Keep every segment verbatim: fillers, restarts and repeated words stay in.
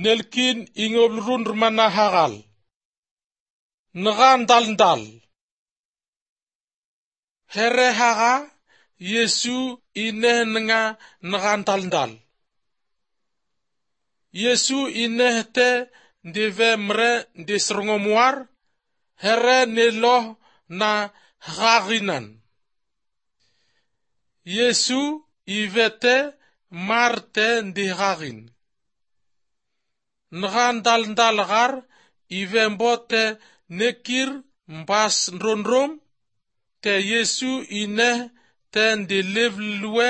Nelkin ingoblrun mana hagal. Nga ndal ndal. Here haga Yesu ineh nga nga ndal ndal. Yesu ineh te ndeve mre ndesrongomuar here ne loh na haginan. Yesu ivete mar te ndihagin. Nga ndal ndal gar ivembo te nekir mbas ndrondrom te Yesu ineh te ndelevlwe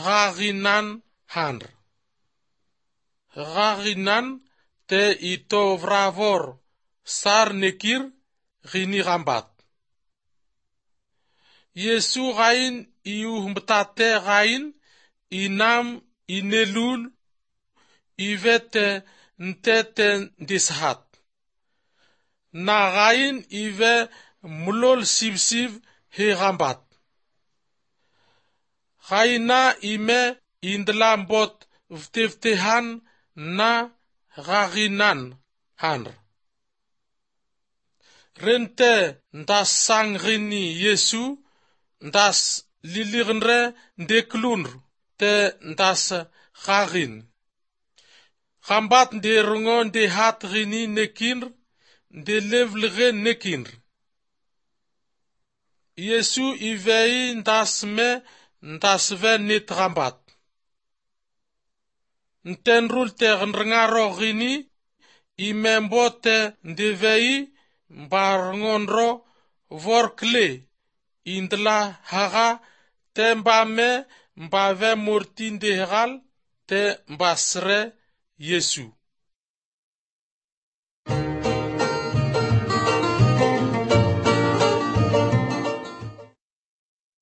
haginan handr. Haginan te ito vravor sar nekir gini gambat. Yesu gain iuhmbtate gain inam inelul ivete ntete ndishat. Na gain ive mlol sivsiv he gambat. Gaina ime indla mbot vtevtehan na gaginan handr. Rente ndas sang gini Yesu ndas lilignre ndeklunr te ndas gagin. Gambat nde rongo ndehat gini nekinr ndelevlghe nekinr. Yesu ivei ndas me ndasve net gambat. Ntenrul te gnrngaro gini ime mbo te ndevei mbarngonro vor kle indla haga te mbame mbave morti ndegal te mbasre Yesu.